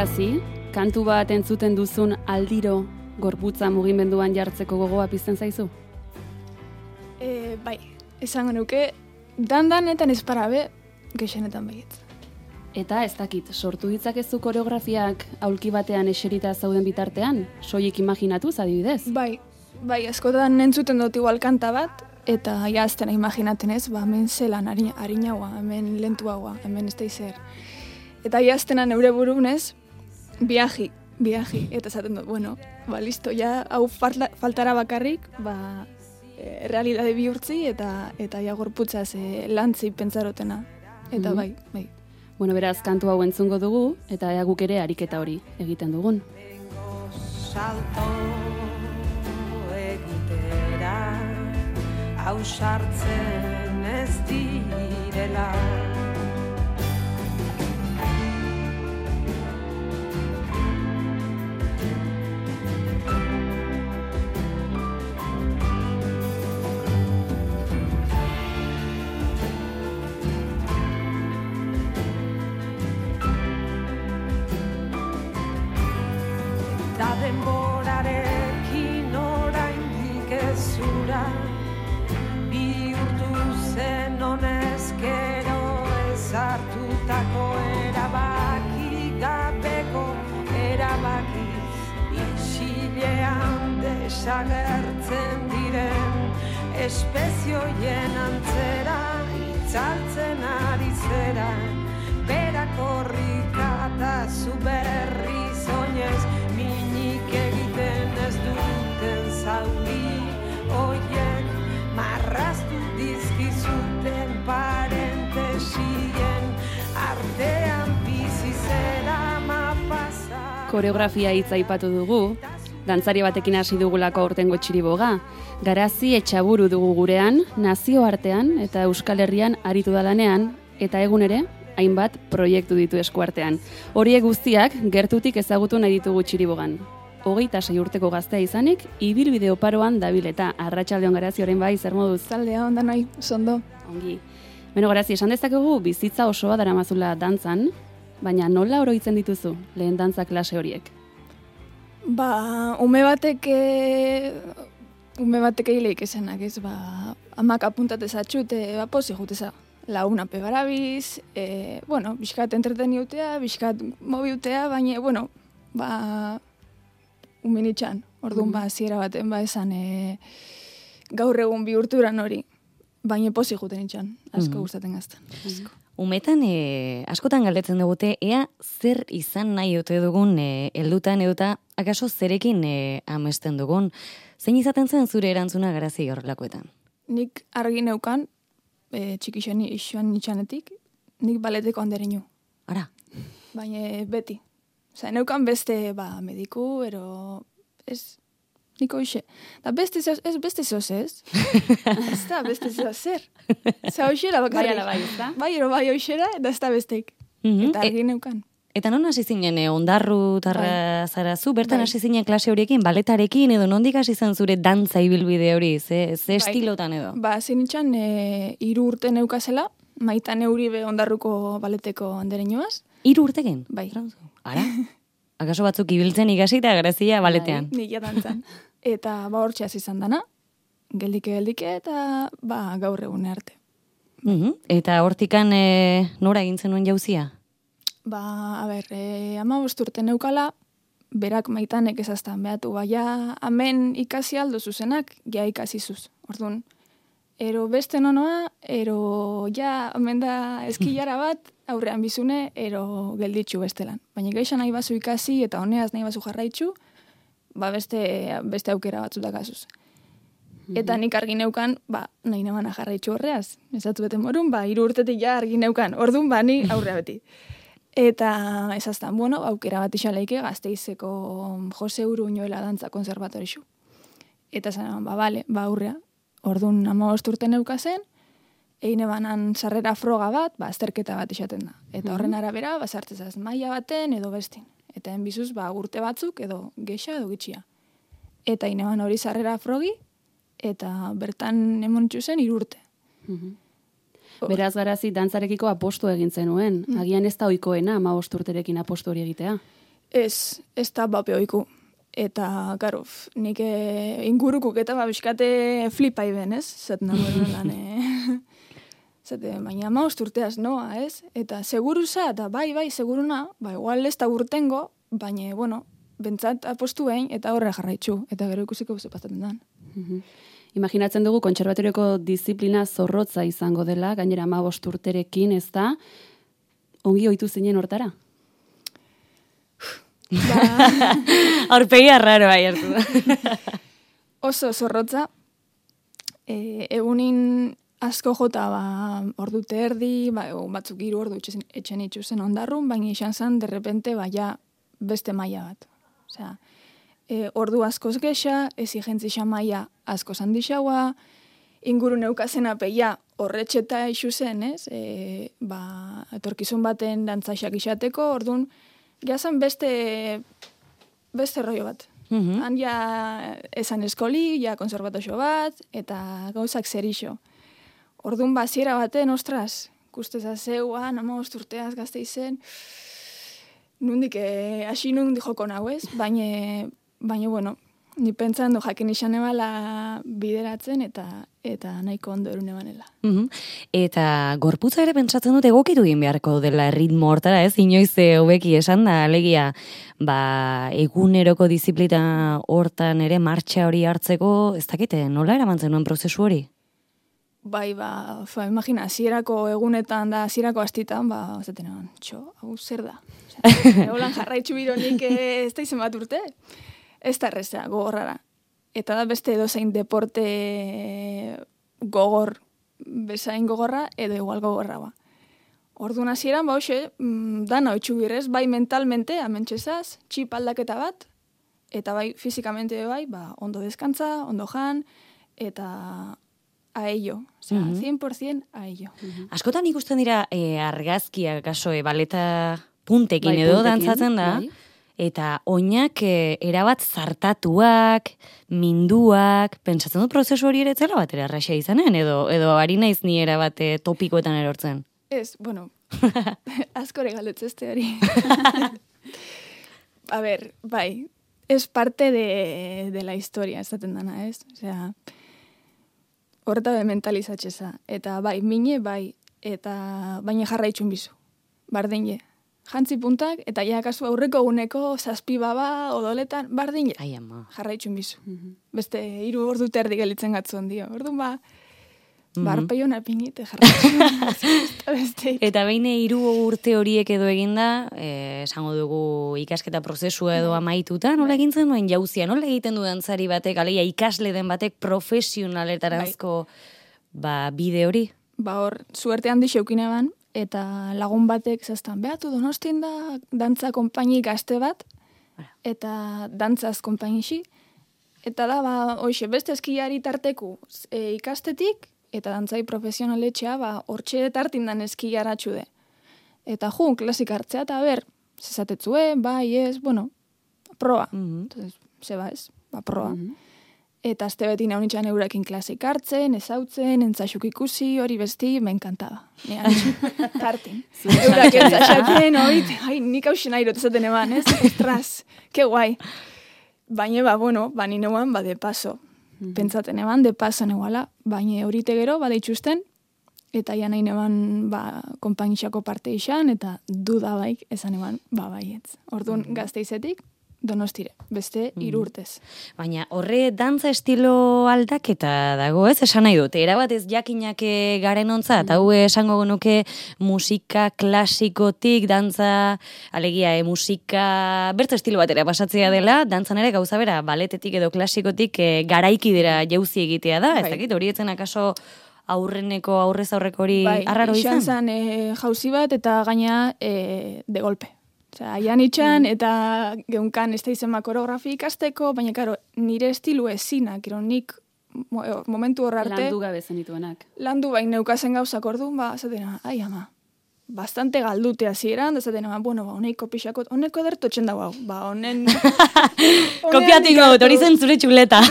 Garazi, kantu bat entzuten duzun aldiro gorputza mugimenduan jartzeko gogoa pizten zaizu? Bai, esango nuke, dandanetan esparabe, gehienetan baietz. Eta ez dakit, sortu ditzakezu koreografiak aulki batean eserita zauden bitartean? Soilik imaginatuz adibidez? Bai, askotan entzuten dut igual kanta bat, eta jaztena imaginaten ez, hemen zelan harinaua, hemen lentuagoa, hemen ez da izer. Eta jaztena neure burunez, viaji, eta esaten dut, bueno, listo, ja, hau faltara bakarrik, realidade bihurtzi eta ja gorputzaz lantzi pentsarotena. Eta bai. Bueno, beraz, kantu hau entzungo dugu, eta ea guk ere ariketa hori egiten dugun. Salto egitera, hau sartzen ez direla. Denborarekin oraindik ez zura, bihurtu zen honezkero ezartutako erabaki gabeko erabakiz, isilean desagertzen diren espezioien antzera itzaltzen ari zera, berakorrika eta zuberriz oinez, egiten ez duten zauri oiek marraztu dizkizuten parentesien artean bizi zera mapasa. Koreografia hitza aipatu dugu, dantzari batekin hasi dugulako aurtengo txiriboga. Garazi etxaburu dugu gurean, nazioartean eta Euskal Herrian aritu da lanean, eta egun ere, hainbat proiektu ditu eskuartean. Horiek guztiak gertutik ezagutu nahi ditugu txiribogan. 26 urteko gaztea izanik, ibilbide oparoan dabil eta arratsaldeon Garazi orain bai, zer moduz? Zaldea onda nahi, zondo. Ongi. Beno Garazi, esan dezakegu bizitza osoa daramazula dantzan, baina nola oroitzen dituzu lehen dantza klase horiek? Ume batek hileik esenak, ez, amak apuntatez atxute, posi juteza. Launa pegarabiz, biskat entreteniutea, biskat mobiutea, baina, umenitxan, orduan ziera baten esan gaur egun bihurturan hori, baina posi juten itxan, asko gustaten gazten. Umetan, askotan galdetzen dugute, ea zer izan nahi ote dugun heldutan eduta, akaso zerekin amesten dugun. Zein izaten zen zure erantzuna Garazi horrelakoetan? Nik argi neukan, txikixen isuan nitxanetik, nik baleteko handereinu. Ara? Baina beti. Osa, neukan beste, mediku, ez, niko ixe. Da beste zoz ez? Ez da, beste zoz zer. Osa, oixera bakarrik. Bai ala bai, ez da? Bai oixera, da ez da besteik. Eta argi neukan. Eta non hasi zinen, ondarru tarra zarazu, bertan hasi zinen klase horiekin, baletarekin, edo nondik hasi zen zure dantza ibilbide hori, ze estilotan edo? Zinitxan, 3 urte neukazela, Maitan Euribe ondarruko baleteko andereinoaz. 3 urteken? Bai. Ara? Akaso batzuk ibiltzen ikasi eta Grazia baletean. Bai, nik dantzan. Eta hortxe hasi izan dana, geldike, eta gaur egune arte. Eta hortikan nora egin zenuen jauzia? 15 urte neukala, berak Maitanek ezaztan behatu, hemen ikasi aldo zuzenak, ja ikasizuz. Orduan, ero beste nonoa, ero hemen da eskilara bat, aurrean bizune, ero gelditxu bestelan. Baina gaixa nahi bazu ikasi eta honeaz nahi bazu jarraitxu, beste aukera batzutak azuz. Eta nik argi neukan, nahi nemana jarraitxu horreaz. Ezatu beten morun, 3 urtetik argi neukan. Orduan, ni aurrea beti. Eta ezaztan, aukera bat isaleike Gasteizeko Jose Uruñuela dantza konservatorixu. Eta zan, aurrea. Orduan, 15 urte neukazen, eine banan sarrera froga bat, azterketa bat izaten da. Eta horren arabera, sartzezaz maila baten edo bestin. Eta enbizuz, urte batzuk edo gexa edo gitxia. Eta eine ban hori sarrera frogi, eta bertan emontxu zen 3 urte. Beraz Garazi dantzarekiko apostu egin zenuen. Agian ez da ohikoena 15 urterekin apostu hori egitea. Ez da bapeoiku. Eta, garo, nik ingurukuk eta biskate flipai ben, ez? Zaten nagoen lan, Zate, baina 15 urteaz noa, ez? Eta seguruza, eta bai, seguruna, igual ez da urtengo, baina, bueno, bentsat apostu behin, eta horre jarraitzu, eta gero ikusiko buze pasatzen dan. Imaginatzen dugu kontserbatorioko disiplina zorrotza izango dela, gainera 15 urterekin, ez da, ongi ohitu zinen hortara? Aurpegia raro bai hartu. Oso zorrotza, egunin asko jota ordu terdi, batzuk 3 ordu etxen itxuzen ondarrun, baina izan zen, derrepente, beste maila bat. Osea, ordu askoz gexa, exigentzia maila asko handixaua, inguru neukazen apeia horretxeta ixuzen, ez? Etorkizun baten dantzaxak izateko, ordun jazan beste rollo bat. Han ja esan eskoli, ja konservatoxo bat, eta gauzak zer ixo. Ordun baziera baten, ostras, kusteza zeuan, 15 urteaz gazte izen, nundik hasi nundik joko nahu ez, baina, bueno, ni pentsan du jakin izan ebala bideratzen eta nahiko ondo erune banela. Eta gorputza ere pentsatzen dut egokitu egin beharko dela ritmo hortara, ez? Inoiz hobeki esan da, alegia, eguneroko disiplina hortan ere martxa hori hartzeko, ez dakite, nola eramantzen nuen prozesu hori? Bai, imagina, hasierako egunetan da, hasierako astitan, zaten egon, hau zer da? Holan jarraitzu bironik ez da izen bat urte? Ez da errezea, gogorrara. Eta da beste edozein deporte gogor, bezain gogorra, edo igual gogorra ba. Orduan hasieran, dana oitxu birez, bai mentalmente, amentxezaz, txip aldaketa bat, eta bai fizikamente bai, ondo deskantza, ondo jan, eta a ello. Osea, 100% a ello. Askotan ikusten dira argazkiak, kaso, baleta puntekin edo dantzatzen da, eta oinak erabat zartatuak, minduak, pentsatzen dut prozesu hori ere zela bat erarraxa izanen, edo ari naiz ni erabat topikoetan erortzen. Ez, bueno, askore galdetzeste hori. A ver, bai, es parte de la historia, esaten dana, ez? Osea, horreta be mentalizatxeza. Eta bai, mine, bai, eta baina jarraitxun bizu. Bardine. Jantzi puntak, eta ja kasu aurreko eguneko zazpi baba odoletan, bardine. Ai, ama. Jarraitxun bizu. Beste, 3 ordu terdi gelitzen gatzuen dio. Orduan barpeio napingite jarraitxun. Eta behin 3 urte horiek edo eginda, esango dugu ikasketa prozesua edo amaituta, nola egintzen duen jauzia, nola egiten du dantzari batek, aleia ikasle den batek profesionaletarazko bide hori? Hor, suerte handi xeukine ban, eta lagun batek zaztan, behatu Donostin da dantza konpaini gazte bat, eta dantzaz konpainixi, eta da, hoxe, beste eskilari tarteku ikastetik, eta dantzai profesionaletxea, hortxe tartindan eskilaratxu de. Eta klasik hartzea, eta zezatetzue, bai, ez, bueno, proa. Entonces, zeba ez, proa. Eta azte beti naunitxan eurakin klasik hartzen, ezautzen, entzaxuk ikusi, hori besti, me encantaba. Tartin. Eurak entzaxaten, nik hausen airot ezaten eman, ez? Ostras, que guai. Baina, bueno, nineuan, de paso. Pentsaten eban, de paso neguala, baina horite gero, deitxusten, eta ja nahi neban, konpainixako parte izan, eta duda baik, esan eban, baietz. Orduan, gazteizetik, Donostire, beste 3 urtez. Baina horre dantza estilo aldaketa dago, ez? Esan nahi dut, erabat ez jakinak garen ontzat, hau esango genuke musika klasikotik, dantza, alegia, musika, bertu estilo batera pasatzea dela, dantzan ere gauza bera, baletetik edo klasikotik garaikidera jauzi egitea da, ez dakit, hori etzen akaso aurrez aurreko hori arraro izan? Bai, izan zen jauzi bat eta gaina de golpe. Osea, aian itxan, eta geunkan ez da izema koreografi ikasteko, baina, karo, nire estilu ezinak, nik momentu hor arte... Landu gabe zenituenak. Landu bain neukazen gauzak orduan, zatena, ai ama, bastante galdute hasieran, zatena, bueno, honeiko pixakot, honeko ederto txenda hau, honen... Kopiatiko, hori zen zure txuleta.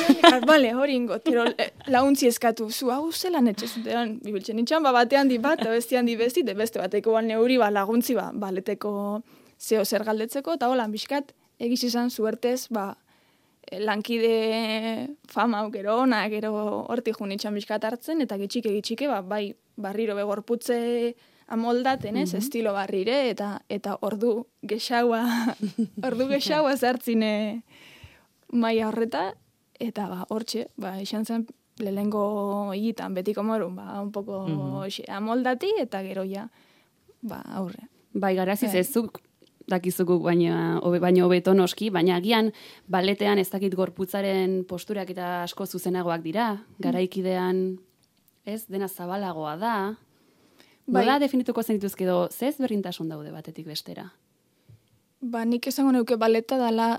Bale, hori ingo, tero launtzi eskatu, zu hau zelan etxezutean, bibiltzen itxan, batean di bat, bestian di besti, beste bateko neuri laguntzi, baleteko... zeo zer galdetzeko, eta holan bizkat, egiz izan zuertez, lankide fama gero ona, gero hortik junitxan bizkat hartzen, eta gitxike, bai, barriro begorputze amoldaten, ez, estilo barrire, eta ordu gexaua zartzine maia horreta, eta hortxe, izan zen, lehengo higitan, betiko morun, un poco amoldati, eta gero ja, aurre. Bai, garaziz ezuk, dakizukuk baino hobeto noski, baina agian baletean ez dakit gorputzaren posturak eta asko zuzenagoak dira, garaikidean ez dena zabalagoa da. Nola definituko zen dituzke edo, zez berdintasun daude batetik bestera? Nik esango neuke baleta dala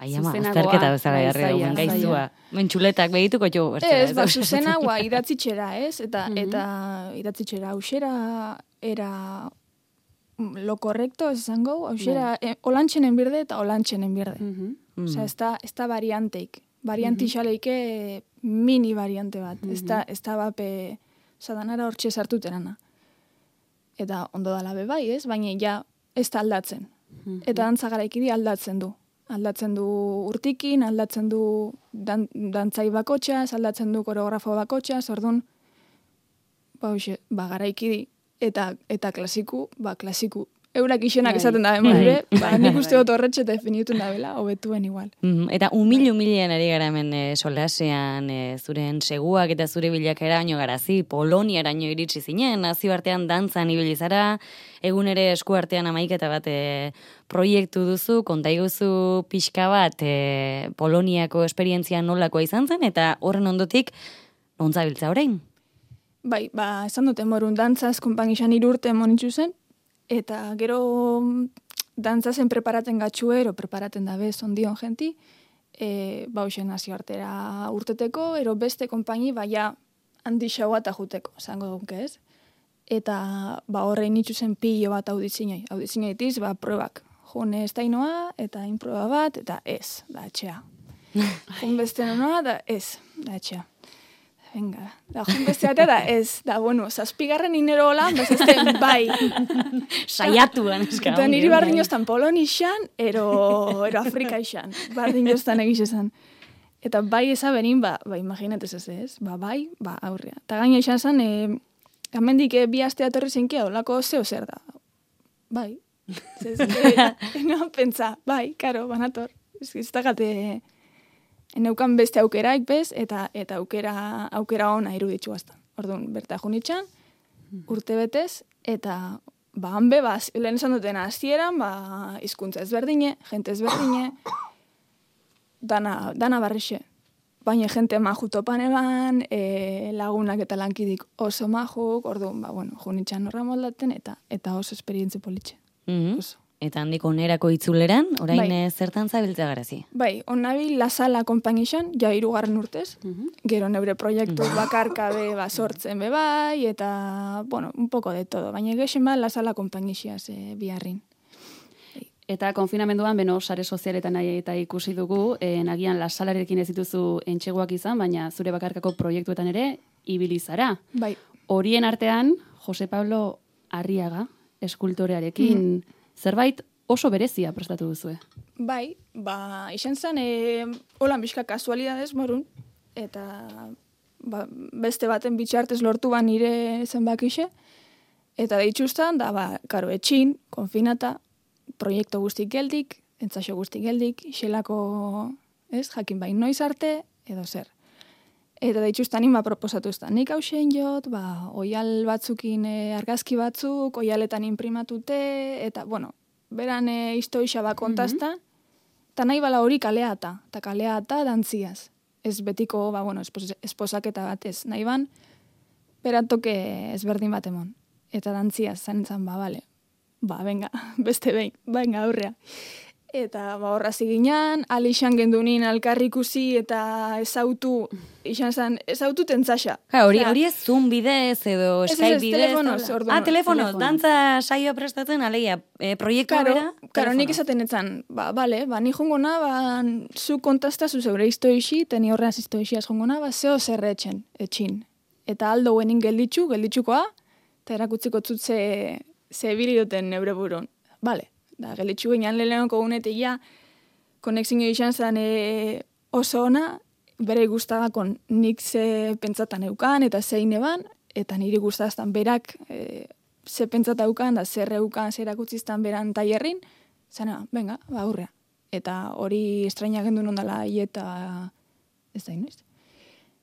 azterketa bezala jarri dugun gaizua. Mentxuletak behituko jo. Ez, zuzenagoa idatzitxera, ez? Eta idatzitxera, hausera era lo correcto, ez zango, hausera olantxenen birde eta olantxenen birde. Osea, ez da varianteik. Varianti xaleike mini variante bat. Ez da bape sadanara hortxe sartuterana. Eta ondo dala bai, ez? Baina ja ez da aldatzen. Eta dantza garaikidi aldatzen du. Aldatzen du urtikin, aldatzen du dantzai bakotxaz, aldatzen du koreografo bakotxaz, orduan, garaikidi eta klasiku, klasiku. Eurak isenak esaten da bemore, nik uste dut horretxe definitun da bela, hobetuen igual. Eta humilian ari gara hemen solasean, zuren seguak eta zure bilakera baino garazi, Poloniaraino iritsi zinen, nazioartean dantzan ibili zara, egun ere eskuartean amaiketa bat proiektu duzu, kontaiguzu pixka bat Poloniako esperientzia nolakoa izan zen, eta horren ondotik, nontzabiltza orain? Bai, esan duten morun dantzaz, konpangizan 3 urte monitzu zen, eta gero dantzazen preparaten gatxuero, preparaten dabe zondion jenti, bauxen nazioartera urteteko, ero beste konpaini baia handi xaua eta juteko, zango dunke ez. Eta horrein itxuzen pilo bat auditzinei. Auditzineitiz, probak. June ez dainoa, eta inproba bat, eta ez, da etxea. Jun beste noa, da ez, da etxea. Venga, da jun beste batea da ez, da bueno, 7. inero holan, bezazten bai. Saiatuan eska. Eta niri bardin joztan Poloni xan, ero Afrika xan. Bardin joztan egiz esan. Eta bai eza berin, imaginatez ez, bai, aurrea. Eta gaina xan zan, gamendik 2 aste atorri zinkia, olako zeo zer da. Bai. No, pentsa, bai, karo, banator. Ez da gate... Eneukan beste aukeraik bez, eta aukera ona iruditzu aztan. Orduan, berta junitxan, urte betez, eta hanbe, lehen esan duten hasieran, hizkuntza ezberdine, jente ezberdine, dana barrixe. Baina jente maju topan eban, lagunak eta lankidik oso majuk, orduan, junitxan horra moldaten, eta oso esperientzi politxe. Oso. Eta handiko onerako itzuleran, orain zertan zabiltza garazi? Bai, onabil La Sala konpainixan, ja 3. urtez, gero neure proiektu bakarkabe sortzen bai, eta, un poco de todo, baina gexen La Sala konpainixiaz biharrin. Eta konfinamenduan, sare sozialetan eta ikusi dugu, nagian La Salarekin ez dituzu entxeguak izan, baina zure bakarkako proiektuetan ere, ibili zara. Bai. Horien artean, Jose Pablo Arriaga, eskultorearekin, zerbait oso berezia prestatu duzue. Bai, izan zen, holan bizka kasualidadez morun, eta beste baten bitxartez lortu nire zenbakixe, eta deitxustan, karo, etxin, konfinata, proiektu guztik geldik, entzaxo guztik geldik, xelako, jakin bain noiz arte, edo zer. Eta deitxustan nima proposatu eztan. Nik hausen jot, oial batzukin argazki batzuk, oialetan imprimatute, eta, beran historia kontazta, eta nahi bala hori kaleata, eta kaleata dantziaz. Ez betiko, esposaketa batez. Nahi ban, beratoke ezberdin bat emon. Eta dantziaz, zanetzan, bale. Venga, beste behin, venga, aurrea. Eta horra ziginan, alixan gendunin alkarrikusi eta ezautu, ezautu tentzaxa. Hori ez Zoom bidez edo Skype bidez. Telefonoz, orduan. Telefonoz, dantza saioa prestatzen, aleia, proiektua bera? Karo, nik esaten etzan, ni jongona, zu kontazta zu zeure iztoixi, teni horreaz iztoixiaz jongona, zeo zerre etxin. Eta aldo guenin gelditxukoa, eta erakutziko zut ze biri duten neure burun. Bale, da, gelitxu ginean lehenoko gunetik ja, konexio izan zen oso ona, bere guztagakon nik ze pentsatan eukan eta zein eban, eta niri guztaztan berak ze pentsata eukan, da zer eukan, zer erakutziztan beran tailerrin, zena, venga, ba, aurrea. Eta hori estraina gendu nondala eta ez da inoiz.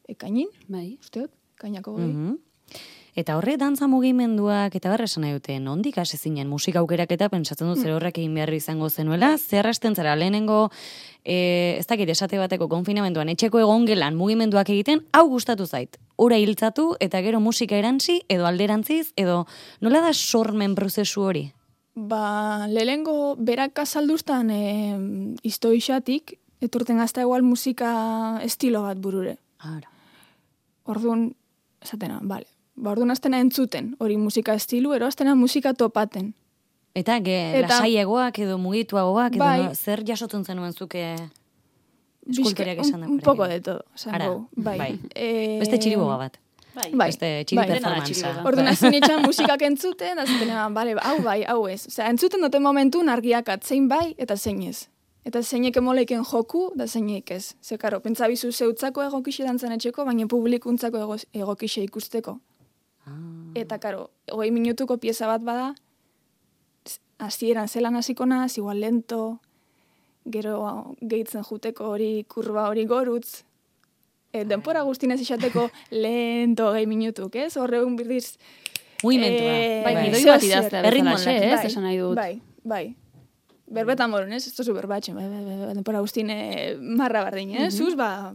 Ekainin, Bai. usteot, kainako goi. Eta horre dantza mugimenduak eta barra esan nahi dute, nondik hasi zinen musika aukerak eta pentsatzen dut zer horrek egin behar izango zenuela, zer hasten zara lehenengo, ez dakit esate bateko konfinamenduan, etxeko egon gelan mugimenduak egiten, hau gustatu zait. Ura hiltzatu eta gero musika erantzi, edo alderantziz, edo nola da sormen prozesu hori? Ba, lehengo berak azalduztan iztoixatik, etorten gazta igual musika estilo bat burure. Ara. Orduan, esatena, bale. Ba, orduan aztena entzuten, hori musika estilu, ero aztena musika topaten. Eta lasaiagoak edo mugituagoak, edo Bai. zer jasotzen zenuen zuke eskultoriak esan da. Un poco de todo, Ara, zango. Bai. bai. Beste txiriboga bat. Bai. Beste txiri Bai. performanza. Orduan azten itxan musikak entzuten, da zutena, bale, hau bai, hau ez. Osea, entzuten duten momentun argiak zein bai eta zein ez. Eta zeinek emoleiken joku, da zeinek ez. Ze, karo, pentsabizu zeutzako egokixe dantzan etxeko, baina publikuntzako egokixe ikusteko. Eta, karo, 20 minutuko pieza bat bada, hasieran zelan hasiko naz, igual lento, gero gehitzen juteko hori kurba hori gorutz, denpora guztinez isateko lento 20 minutuk, ez? Horregun birdiz... Mugimentua. Bai, gidoi zeo bat idaztea erritmo bezala, aldaketa. ez? Esan nahi dut. Bai. Berbetan morun, ez? Ez tozu berbatxen, denpora guztine marra bardin, ez? Zuz, ba,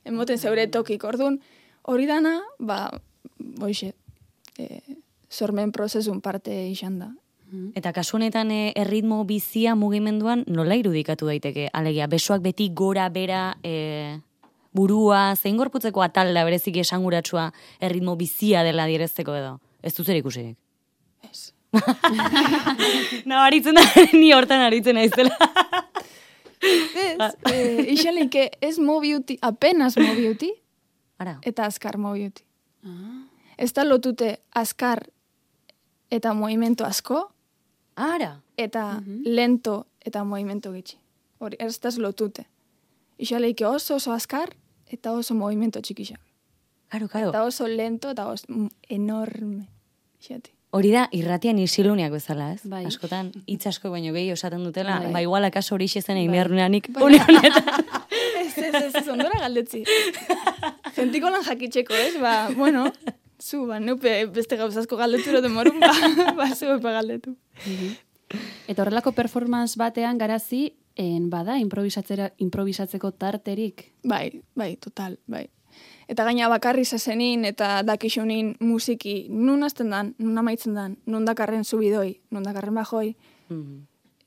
emoten zeure tokik, orduan, hori dana, ba, boixe, sormen prozesun parte izan da. Eta kasu honetan erritmo bizia mugimenduan nola irudikatu daiteke? Alegia, besoak beti gora bera burua, zein gorputzeko atalda bereziki esanguratsua erritmo bizia dela direzteko edo? Ez dut zer ikusirik. Ez. No, aritzen da, ni hortan aritzen naizela. Ez, ixalik ez mobiuti, apenas mobiuti, Ara, eta azkar mobiuti. Ez da lotute azkar eta movimento asko, ara. eta lento eta movimento gitxi. Hori, ez da lotute. Ixaleike oso azkar eta oso movimento txikixak. Karo. Eta oso lento eta oso enorme. Ixati. Hori da, irratian isiluniak bezala, ez? Bai. Askotan, hitz asko baino gehi osaten dutela, Bai. ba igual akaso hori xezen egin behar nueanik, une honetan. Ez, ondora galdetzi. Gentiko lan jakitxeko, ez? Ba, bueno, zu, ba, neupe beste gauzazko galdeturo demorun, ba, zu epa galdetu. Eta horrelako performance batean garazi, bada improvisatzeko tarterik. Bai, total, bai. Eta gaina bakarri zazenin eta dakixunin musiki nun azten dan, nun amaitzen dan, nun dakarren zubidoi, nun dakarren bajoi,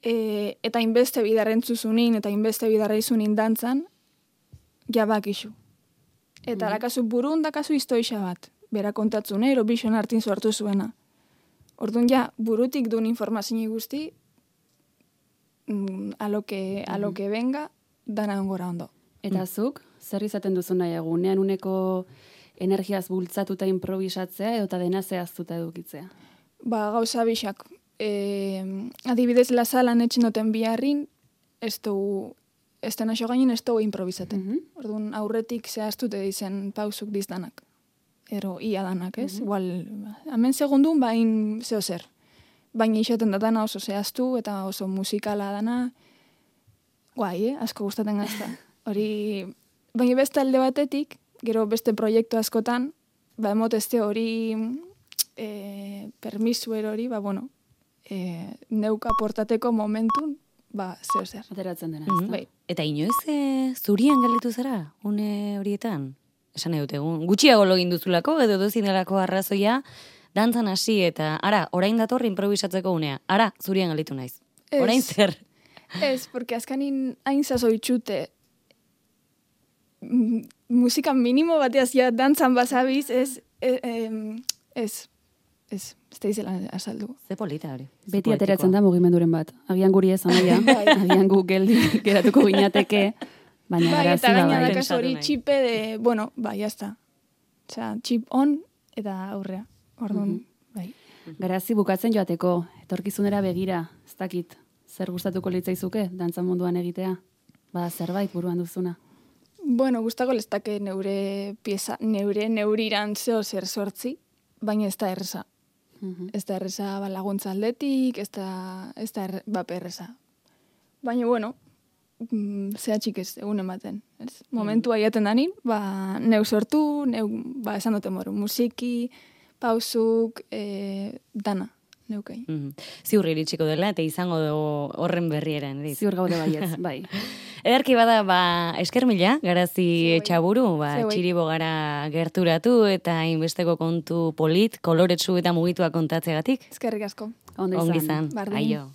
eta inbeste bidarren zuzunin, eta inbeste bidarra izunin dantzan, ja bakixu. Eta lakazu burun dakazu iztoixa bat, bera kontatzun, Eurovision hartin sortu zuena. Orduan ja, burutik duen informazio guzti, aloke venga, dana ongora ondo. Eta zuk, zer izaten duzu nahi egunean uneko energiaz bultzatuta improvisatzea edo eta dena zehaztuta edukitzea? Ba, gauza bixak. Adibidez, lasalan etxen duten biharrin, ez den aso gainen ez dugu improvisaten. Orduan, aurretik zehaztute dizen pausuk dizdanak. Ero, ia danak, ez? Igual, hemen segundun, bain zeo zer. Baina isoten datana oso zehaztu eta oso musikala dana. Guai, asko gustaten gazta. Hori, baina beste alde batetik, gero beste proiektu askotan, ba, emotezte hori permisu hori, ba, bueno, neuka portateko momentun, ba, zeo zer. Ateratzen dena, ez da? Bai. Eta inoiz zurian galdetu zara, une horietan? Esan nahi dut, gutxiago login duzulako, edo dozin delako arrazoia, dantzan hasi eta, ara, orain dator improvisatzeko unea. Ara, zurian galdetu naiz. Ez. Orain zer? Ez, porque azkanin hain zazoitxute musika minimo bateaz ja dantzan basabiz, ez da izela azaldu. Ze polita hori. Beti ateratzen da mugimenduren bat. Agian guri ez anaia, agian gu geratuko ginateke, baina Bai, garazi eta da gaina bai. dakaz hori Pentsatu nahi. txipe de, bueno, bai, jazta. Osea, txip on eta aurrea. Orduan, Bai. Garazi bukatzen joateko, etorkizunera begira, ez dakit, zer gustatuko litzaizuke dantza munduan egitea? Bada zerbait buruan duzuna. Bueno, gustako lestake neuriran zeo zer sortzi, baina ez da erresa. Ez da erresa laguntza aldetik, ez da erresa. Baina, bueno, zehatxik ez egun ematen. Ez? Momentua iaten danin, neu sortu, esan dute moru, musiki, pausuk, dana, neukei. Ziur iritsiko dela, eta izango horren berrieran. Ziur gaude baietz, bai. Ederki bada, esker mila, Garazi Etxaburu, txiribo gara gerturatu, eta hainbesteko kontu polit, koloretsu eta mugitua kontatzegatik. Eskerrik asko. Ondo izan. Aio.